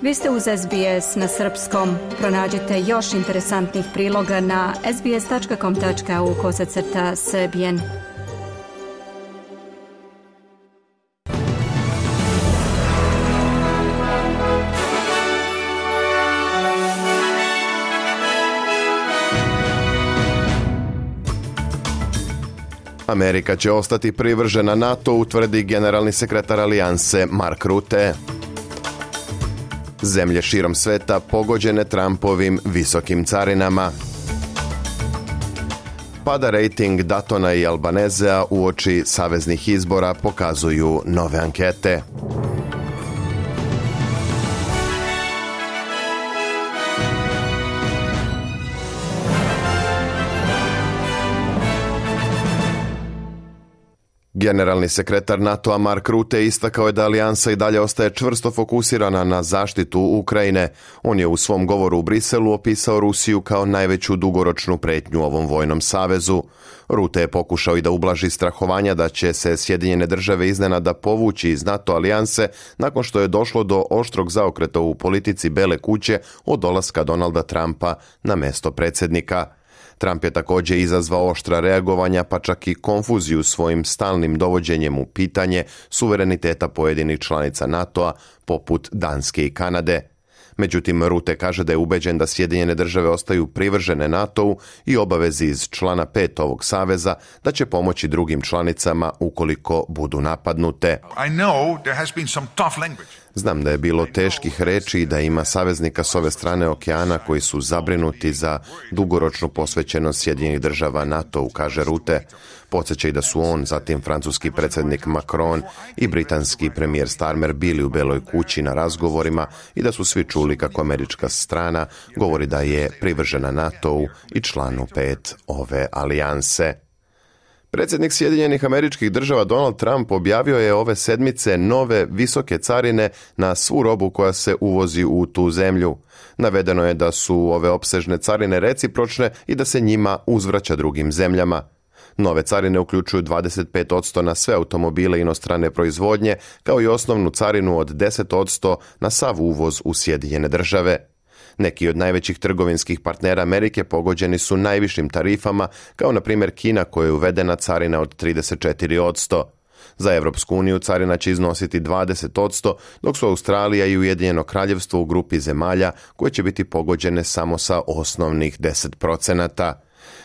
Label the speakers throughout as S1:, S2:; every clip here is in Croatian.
S1: Vi ste uz SBS na srpskom. Pronađite još interesantnih priloga na sbs.com.au/srbijen.
S2: Amerika će ostati privržena NATO-u, tvrdi generalni sekretar alijanse Mark Rutte. Zemlje širom sveta pogođene Trumpovim visokim carinama. Pada rejting Daytona i Albanezea uoči saveznih izbora, pokazuju nove ankete. Generalni sekretar NATO-a Mark Rutte istakao je da alijansa i dalje ostaje čvrsto fokusirana na zaštitu Ukrajine. On je u svom govoru u Briselu opisao Rusiju kao najveću dugoročnu pretnju ovom vojnom savezu. Rutte je pokušao i da ublaži strahovanja da će se Sjedinjene države iznenada povući iz NATO alijanse nakon što je došlo do oštrog zaokreta u politici Bele kuće od dolaska Donalda Trumpa na mesto predsjednika. Trump je također izazvao oštra reagovanja, pa čak i konfuziju svojim stalnim dovođenjem u pitanje suvereniteta pojedinih članica NATO-a, poput Danske i Kanade. Međutim, Rutte kaže da je ubeđen da Sjedinjene države ostaju privržene NATO-u i obavezi iz člana 5 ovog saveza da će pomoći drugim članicama ukoliko budu napadnute. Znam da je bilo teških reči i da ima saveznika s ove strane okeana koji su zabrinuti za dugoročnu posvećenost Sjedinjenih država NATO-u, kaže Rutte. Podsjeća i da su on, zatim francuski predsjednik Macron i britanski premijer Starmer bili u Beloj kući na razgovorima i da su svi čuli kako američka strana govori da je privržena NATO-u i članu 5 ove alijanse. Predsjednik Sjedinjenih Američkih Država Donald Trump objavio je ove sedmice nove visoke carine na svu robu koja se uvozi u tu zemlju. Navedeno je da su ove opsežne carine recipročne i da se njima uzvraća drugim zemljama. Nove carine uključuju 25% na sve automobile inostrane proizvodnje, kao i osnovnu carinu od 10% na sav uvoz u Sjedinjene države. Neki od najvećih trgovinskih partnera Amerike pogođeni su najvišim tarifama, kao na primjer Kina koja je uvedena carina od 34%. Za Europsku uniju carina će iznositi 20%, dok su Australija i Ujedinjeno Kraljevstvo u grupi zemalja koje će biti pogođene samo sa osnovnih 10%.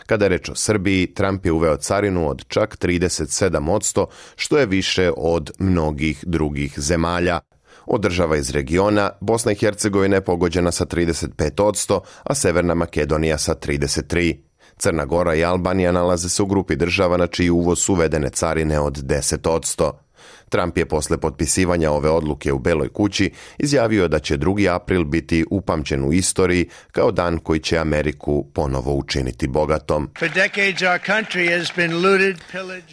S2: Kada je reč o Srbiji, Trump je uveo carinu od čak 37%, što je više od mnogih drugih zemalja. Od država iz regiona, Bosna i Hercegovina je pogođena sa 35%, a Severna Makedonija sa 33%. Crna Gora i Albanija nalaze se u grupi država na čiji uvoz su uvedene carine od 10%. Trump je posle potpisivanja ove odluke u Beloj kući izjavio da će 2. april biti upamćen u istoriji kao dan koji će Ameriku ponovo učiniti bogatom.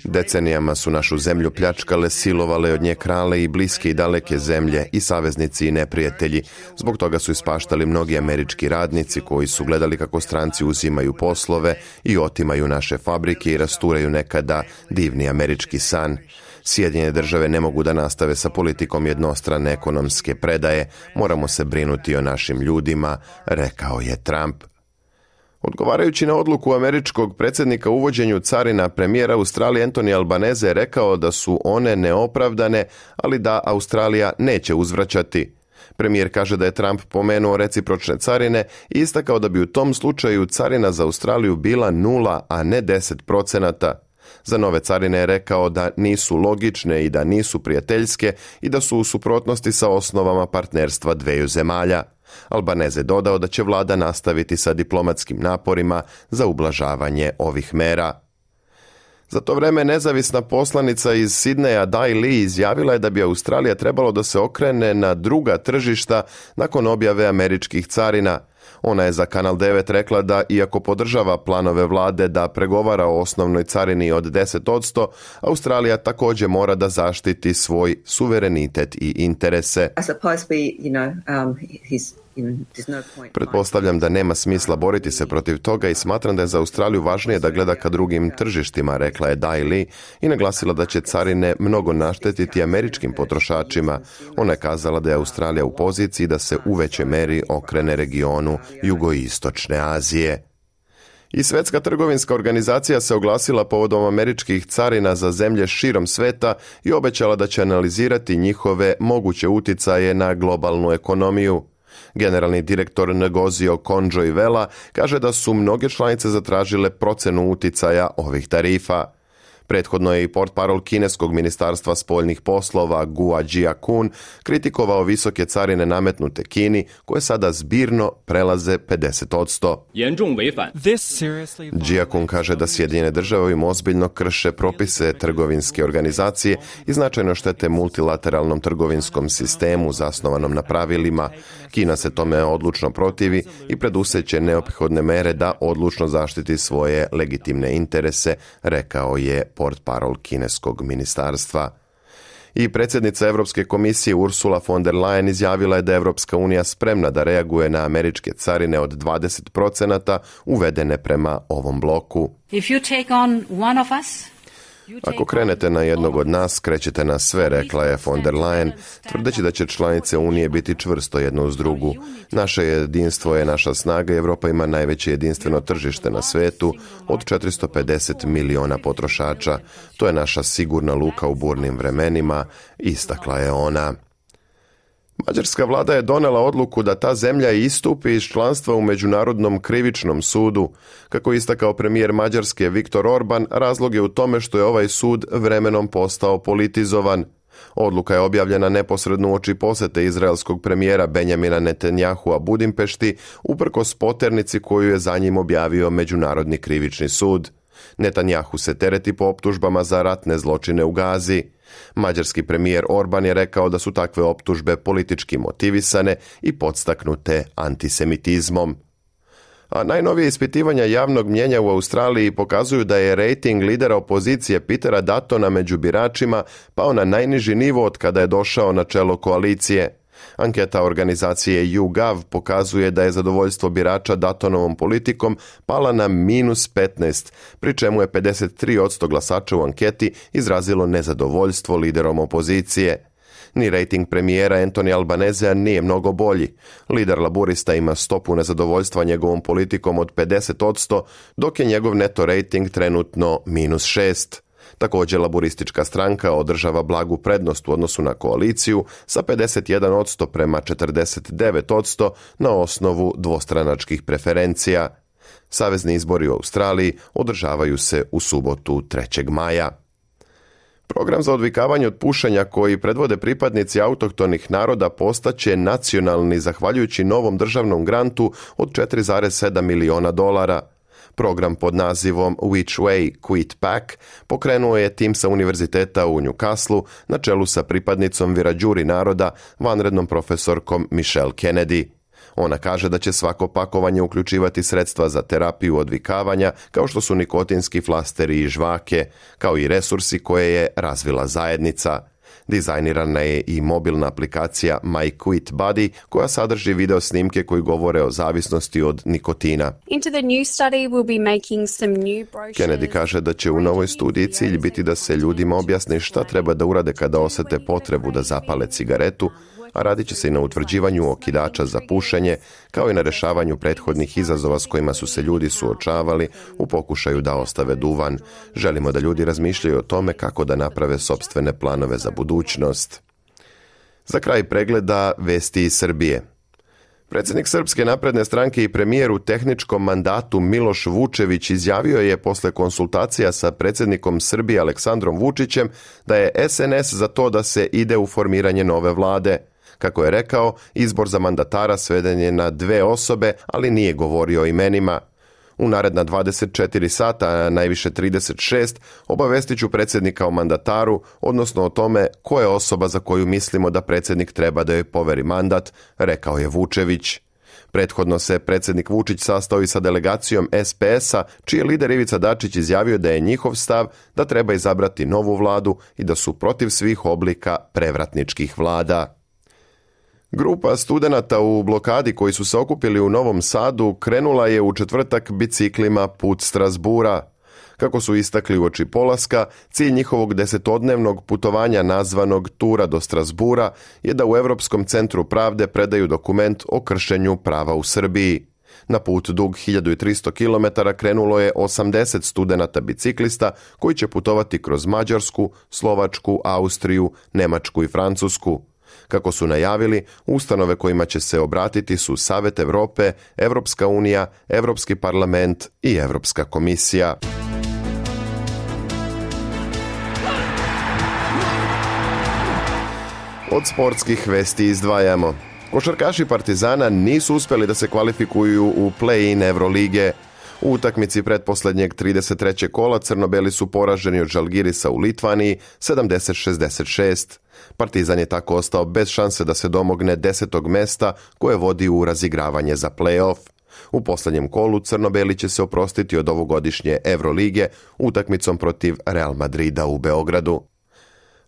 S2: Decenijama su našu zemlju pljačkale, silovale od nje krale i bliske i daleke zemlje i saveznici i neprijatelji. Zbog toga su ispaštali mnogi američki radnici koji su gledali kako stranci uzimaju poslove i otimaju naše fabrike i rasturaju nekada divni američki san. Sjedinjene države ne mogu da nastave sa politikom jednostrane ekonomske predaje, moramo se brinuti o našim ljudima, rekao je Trump. Odgovarajući na odluku američkog predsjednika o uvođenju carina, premijer Australije Anthony Albanese je rekao da su one neopravdane, ali da Australija neće uzvraćati. Premijer kaže da je Trump pomenuo recipročne carine i istakao da bi u tom slučaju carina za Australiju bila 0, a ne 10%. Za nove carine je rekao da nisu logične i da nisu prijateljske i da su u suprotnosti sa osnovama partnerstva dveju zemalja. Albanese dodao da će vlada nastaviti sa diplomatskim naporima za ublažavanje ovih mera. Za to vreme nezavisna poslanica iz Sidneja Dai Li izjavila je da bi Australija trebalo da se okrene na druga tržišta nakon objave američkih carina. Ona je za Kanal 9 rekla da, iako podržava planove vlade da pregovara o osnovnoj carini od 10%, Australija također mora da zaštiti svoj suverenitet i interese. Pretpostavljam da nema smisla boriti se protiv toga i smatram da je za Australiju važnije da gleda ka drugim tržištima, rekla je Dai Li i naglasila da će carine mnogo naštetiti američkim potrošačima. Ona je kazala da je Australija u poziciji da se u većoj meri okrene regionu jugoistočne Azije. I Svjetska trgovinska organizacija se oglasila povodom američkih carina za zemlje širom sveta i obećala da će analizirati njihove moguće uticaje na globalnu ekonomiju. Generalni direktor Ngozio Konjo-Iweala kaže da su mnoge članice zatražile procenu uticaja ovih tarifa. Prethodno je i portparol kineskog ministarstva spoljnih poslova Gua Jiakun kritikovao visoke carine nametnute Kini, koje sada zbirno prelaze 50%. Jiakun kaže da Sjedinjene države ovim ozbiljno krše propise trgovinske organizacije i značajno štete multilateralnom trgovinskom sistemu zasnovanom na pravilima. Kina se tome odlučno protivi i preduseće neophodne mere da odlučno zaštiti svoje legitimne interese, rekao je portparol kineskog ministarstva. I predsjednica Europske komisije Ursula von der Leyen izjavila je da je Europska unija spremna da reaguje na američke carine od 20% uvedene prema ovom bloku. Ako krenete na jednog od nas, krećete na sve, rekla je von der Leyen, tvrdeći da će članice Unije biti čvrsto jedno uz drugu. Naše jedinstvo je naša snaga i Europa ima najveće jedinstveno tržište na svetu od 450 miliona potrošača. To je naša sigurna luka u burnim vremenima, istakla je ona. Mađarska vlada je donela odluku da ta zemlja istupi iz članstva u Međunarodnom krivičnom sudu. Kako je istakao premijer Mađarske Viktor Orban, razlog je u tome što je ovaj sud vremenom postao politizovan. Odluka je objavljena neposredno uoči posete izraelskog premijera Benjamina Netanjahua Budimpešti, uprkos poternici koju je za njim objavio Međunarodni krivični sud. Netanjahu se tereti po optužbama za ratne zločine u Gazi. Mađarski premijer Orban je rekao da su takve optužbe politički motivisane i podstaknute antisemitizmom. A najnovije ispitivanja javnog mnijenja u Australiji pokazuju da je rejting lidera opozicije Petera Duttona među biračima pao na najniži nivo od kada je došao na čelo koalicije. Anketa organizacije YouGov pokazuje da je zadovoljstvo birača Duttonovom politikom pala na -15, pri čemu je 53% glasača u anketi izrazilo nezadovoljstvo liderom opozicije. Ni rejting premijera Anthony Albanezea nije mnogo bolji. Lider laburista ima stopu nezadovoljstva njegovom politikom od 50%, dok je njegov neto rejting trenutno -6. Također laburistička stranka održava blagu prednost u odnosu na koaliciju sa 51% prema 49% na osnovu dvostranačkih preferencija. Savezni izbori u Australiji održavaju se u subotu 3. maja. Program za odvikavanje od pušenja koji predvode pripadnici autohtonih naroda postaće nacionalni zahvaljujući novom državnom grantu od $4,7 miliona. Program pod nazivom Which Way Quit Pack pokrenuo je tim sa univerziteta u Newcastleu na čelu sa pripadnicom Wiradjuri naroda, vanrednom profesorkom Michelle Kennedy. Ona kaže da će svako pakovanje uključivati sredstva za terapiju odvikavanja, kao što su nikotinski flasteri i žvake, kao i resursi koje je razvila zajednica. Dizajnirana je i mobilna aplikacija My Quit Buddy koja sadrži video snimke koji govore o zavisnosti od nikotina. Kennedy kaže da će u novoj studiji cilj biti da se ljudima objasni šta treba da urade kada osete potrebu da zapale cigaretu, a radit će se i na utvrđivanju okidača za pušenje, kao i na rješavanju prethodnih izazova s kojima su se ljudi suočavali u pokušaju da ostave duvan. Želimo da ljudi razmišljaju o tome kako da naprave sopstvene planove za budućnost. Za kraj pregleda vesti iz Srbije. Predsjednik Srpske napredne stranke i premijer u tehničkom mandatu Miloš Vučević izjavio je posle konsultacija sa predsjednikom Srbije Aleksandrom Vučićem da je SNS za to da se ide u formiranje nove vlade. Kako je rekao, izbor za mandatara sveden je na 2 osobe, ali nije govorio o imenima. U naredna 24 sata, a najviše 36, obavestit ću predsjednika o mandataru, odnosno o tome ko je osoba za koju mislimo da predsjednik treba da joj poveri mandat, rekao je Vučević. Prethodno se predsjednik Vučić sastao i sa delegacijom SPS-a, čiji je lider Ivica Dačić izjavio da je njihov stav da treba izabrati novu vladu i da su protiv svih oblika prevratničkih vlada. Grupa studenata u blokadi koji su se okupili u Novom Sadu krenula je u četvrtak biciklima put Strasbura. Kako su istakli uoči polaska, cilj njihovog 10-dnevnog putovanja nazvanog Tura do Strasbura je da u Europskom centru pravde predaju dokument o kršenju prava u Srbiji. Na put dug 1300 km krenulo je 80 studenata biciklista koji će putovati kroz Mađarsku, Slovačku, Austriju, Nemačku i Francusku. Kako su najavili, ustanove kojima će se obratiti su Savet Europe, Europska unija, Europski parlament i Europska komisija. Od sportskih vesti izdvajamo. Košarkaši Partizana nisu uspjeli da se kvalifikuju u play-in Evrolige. U utakmici pretposlednjeg 33. kola crno-beli su poraženi od Žalgirisa u Litvaniji 70-66. Partizan je tako ostao bez šanse da se domogne 10. mesta koje vodi u razigravanje za play-off. U posljednjem kolu crno-beli će se oprostiti od ovogodišnje Evrolige utakmicom protiv Real Madrida u Beogradu.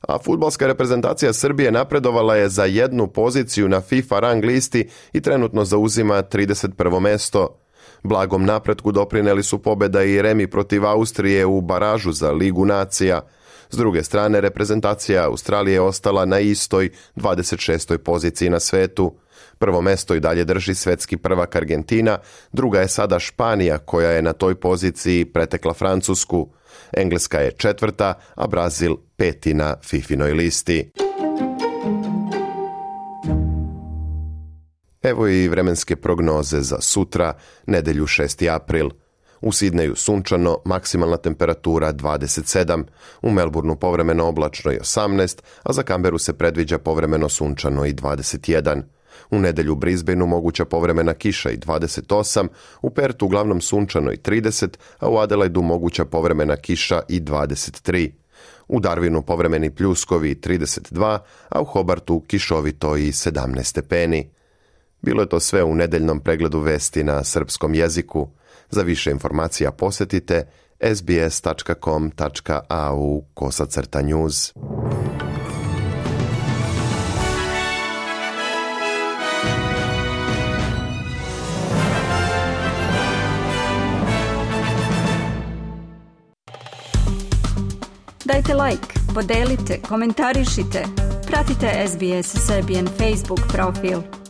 S2: A fudbalska reprezentacija Srbije napredovala je za jednu poziciju na FIFA rang listi i trenutno zauzima 31. mesto. Blagom napretku doprineli su pobjeda i remi protiv Austrije u baražu za Ligu nacija. S druge strane, reprezentacija Australije je ostala na istoj 26. poziciji na svetu. Prvo mesto i dalje drži svetski prvak Argentina, druga je sada Španija koja je na toj poziciji pretekla Francusku. Engleska je 4., a Brazil 5. na FIFInoj listi. Evo i vremenske prognoze za sutra, nedjelju 6. april. U Sidneju sunčano, maksimalna temperatura 27, u Melbourneu povremeno oblačno i 18, a za Canberu se predviđa povremeno sunčano i 21. U nedjelju u Brisbaneu moguća povremena kiša i 28, u Pertu uglavnom sunčano i 30, a u Adelaidu moguća povremena kiša i 23. U Darwinu povremeni pljuskovi 32, a u Hobartu kišovito i 17 stepeni. Bilo je to sve u nedeljnom pregledu vesti na srpskom jeziku. Za više informacija posjetite sbs.com.au/news.
S1: Dajte like, podelite, komentarišite. Pratite SBS Serbian Facebook profil.